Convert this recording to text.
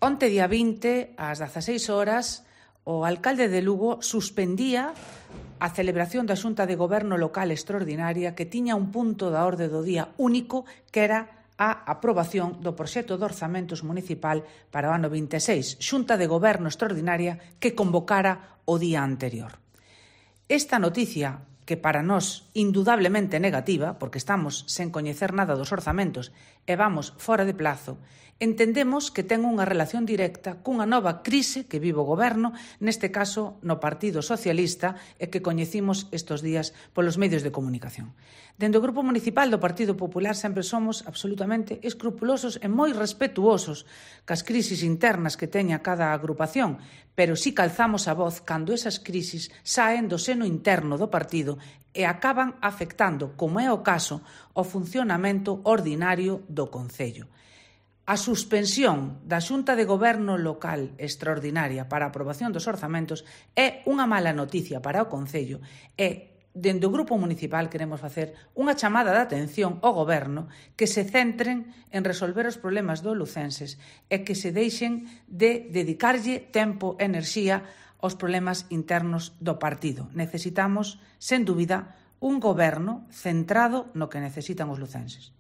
Onte, día 20, ás 16 horas, o alcalde de Lugo suspendía a celebración da Xunta de Goberno Local Extraordinaria que tiña un punto da orde do día único que era a aprobación do proxecto de orzamentos municipal para o ano 26, Xunta de Goberno Extraordinaria que convocara o día anterior. Esta noticia, que para nós indudablemente negativa, porque estamos sen coñecer nada dos orzamentos e vamos fora de plazo, entendemos que ten unha relación directa cunha nova crise que vive o Goberno, neste caso no Partido Socialista, e que coñecimos estes días polos medios de comunicación. Dende o Grupo Municipal do Partido Popular sempre somos absolutamente escrupulosos e moi respetuosos cas crisis internas que teña cada agrupación, pero si calzamos a voz cando esas crisis saen do seno interno do partido e acaban afectando, como é o caso, o funcionamento ordinario do Concello. A suspensión da Xunta de Goberno Local Extraordinaria para a aprobación dos orzamentos é unha mala noticia para o Concello e, dende o Grupo Municipal, queremos facer unha chamada de atención ao Goberno que se centren en resolver os problemas dos lucenses e que se deixen de dedicarlle tempo e enerxía aos problemas internos do partido. Necesitamos, sen dúbida, un Goberno centrado no que necesitan os lucenses.